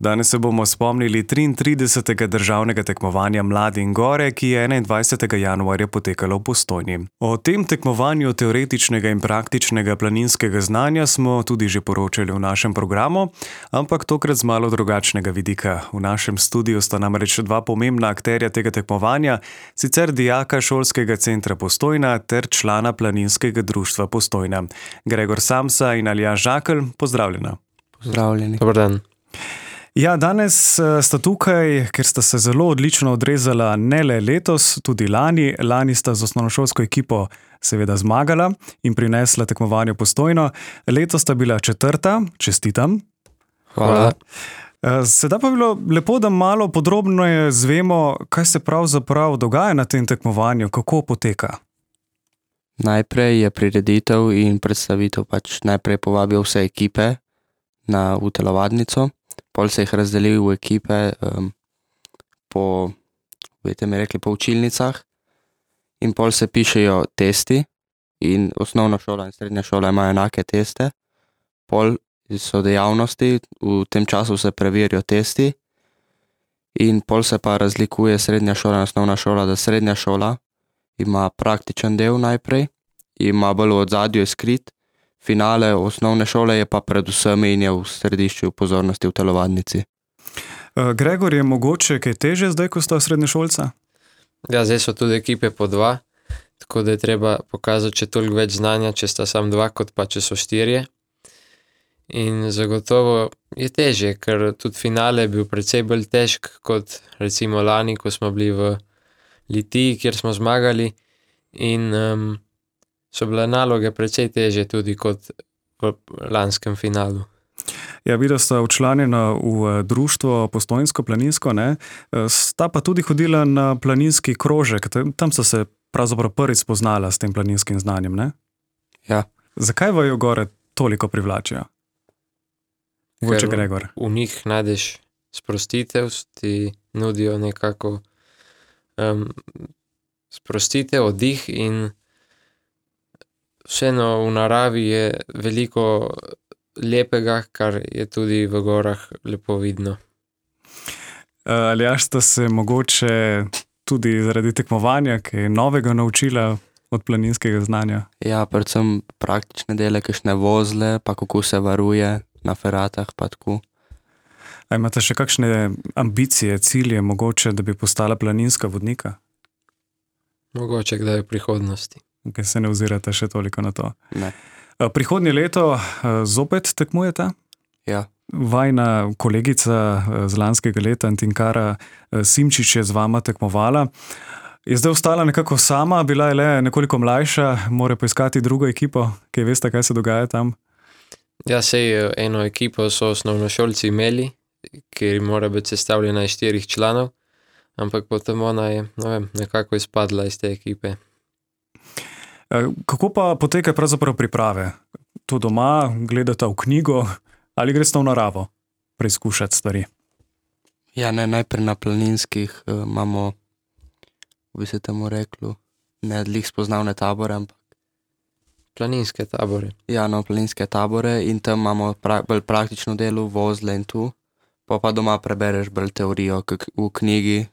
Danes se bomo spomnili 33. državnega tekmovanja Mladi in gore, ki je 21. januarja potekalo v Postojni. O tem tekmovanju teoretičnega in praktičnega planinskega znanja smo tudi že poročali v našem programu, ampak tokrat z malo drugačnega vidika. V našem studiu sta namreč dva pomembna akterja tega tekmovanja, sicer dijaka Šolskega centra Postojna ter člana Planinskega društva Postojna. Gregor Samsa in Aljaž Žakelj, pozdravljena. Pozdravljeni. Dober dan. Ja, danes sta tukaj, ker sta se zelo odlično odrezala ne le letos, tudi lani. Lani sta z osnovnošolsko ekipo seveda zmagala in prinesla tekmovanje Postojno. Letos sta bila 4. Čestitam. Hvala. Sedaj pa bi bilo lepo, da malo podrobneje zvemo, kaj se pravzaprav dogaja na tem tekmovanju, kako poteka. Najprej je prireditev in predstavitev, najprej povabijo vse ekipe v telovadnico, pol se jih razdeli v ekipe po učilnicah in pol se pišejo testi in osnovna šola in srednja šola imajo enake teste. Pol so dejavnosti, v tem času se preverijo testi in pol se pa razlikuje srednja šola in osnovna šola, da srednja šola ima praktičen del najprej, ima bolj v ozadju je skrit, finale osnovne šole je pa predvsem in je v središču pozornosti v telovadnici. Gregor, je mogoče kaj težje zdaj, ko sta srednješolca? Ja, zdaj so tudi ekipe po 2, tako da je treba pokazati še toliko več znanja, če sta samo 2, kot pa če so 4. In zagotovo je težje, ker tudi finale je bil precej bolj težk kot recimo lani, ko smo bili v Litiji, kjer smo zmagali in so bile naloge precej težje tudi kot v lanskem finalu. Ja, videla sta včlanjena v društvo Postojnsko planinsko, ne? Sta pa tudi hodila na planinski krožek, tam sta se pravzaprav prvič spoznala s tem planinskim znanjem, ne? Ja. Zakaj vaju gore toliko privlačijo? Mogoče Gregor. V njih najdeš sprostitev, ti nudijo nekako sprostitev, oddih in vseeno v naravi je veliko lepega, kar je tudi v gorah lepo vidno. Aljaž, sta se mogoče tudi zaradi tekmovanja kaj novega naučila od planinskega znanja? Ja, predvsem praktične dele, kakšne vozle, pa kako se varuje na feratah, pa tako. A imate še kakšne ambicije, cilje mogoče, da bi postala planinska vodnika? Mogoče kdaj v prihodnosti. Kaj se ne ozirate še toliko na to? Ne. Prihodnje leto zopet tekmujete? Ja. Vajna kolegica z lanskega leta, Tinkara Simčič, je z vama tekmovala. Je zdaj ostala nekako sama, bila je le nekoliko mlajša, mora poiskati drugo ekipo, kaj veste, kaj se dogaja tam? Ja, sej eno ekipo so osnovnošolci imeli, ker mora biti sestavljena iz 4 članov, ampak potem ona je, nekako izpadla iz te ekipe. Kako pa poteka pravzaprav priprave? To doma, gledata v knjigo ali gresta v naravo preizkušati stvari? Ja, ne, najprej na planinskih imamo, bi se temu reklo, ne glih spoznavne tabore, ampak Planinske tabore. ja, no, planinske tabore in tam imamo bolj praktično delo, vozle in tu. Pa doma prebereš bolj teorijo v knjigi,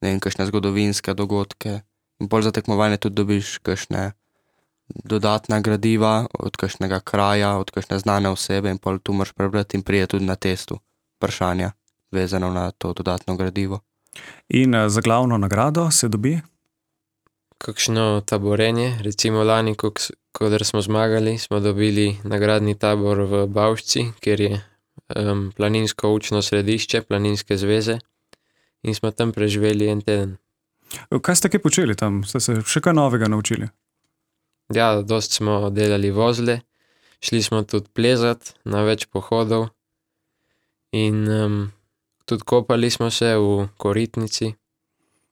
ne vem, kakšne zgodovinske dogodke. In pol za tekmovanje tudi dobiš kakšne dodatna gradiva od kakšnega kraja, od kakšne znane osebe in pol tu moraš prebrati in prije tudi na testu vprašanja, vezano na to dodatno gradivo. In za glavno nagrado se dobi? Kakšno taborenje, recimo lani, kadar smo zmagali, smo dobili nagradni tabor v Bavšci, kjer je planinsko učno središče Planinske zveze in smo tam preživeli en teden. Kaj ste kaj počeli tam? Ste se še kaj novega naučili? Ja, dost smo delali vozle, šli smo tudi plezat na več pohodov in tudi kopali smo se v koritnici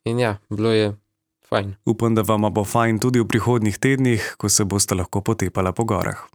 in ja, bilo je fajn. Upam, da vama bo fajn tudi v prihodnjih tednih, ko se boste lahko potepala po gorah.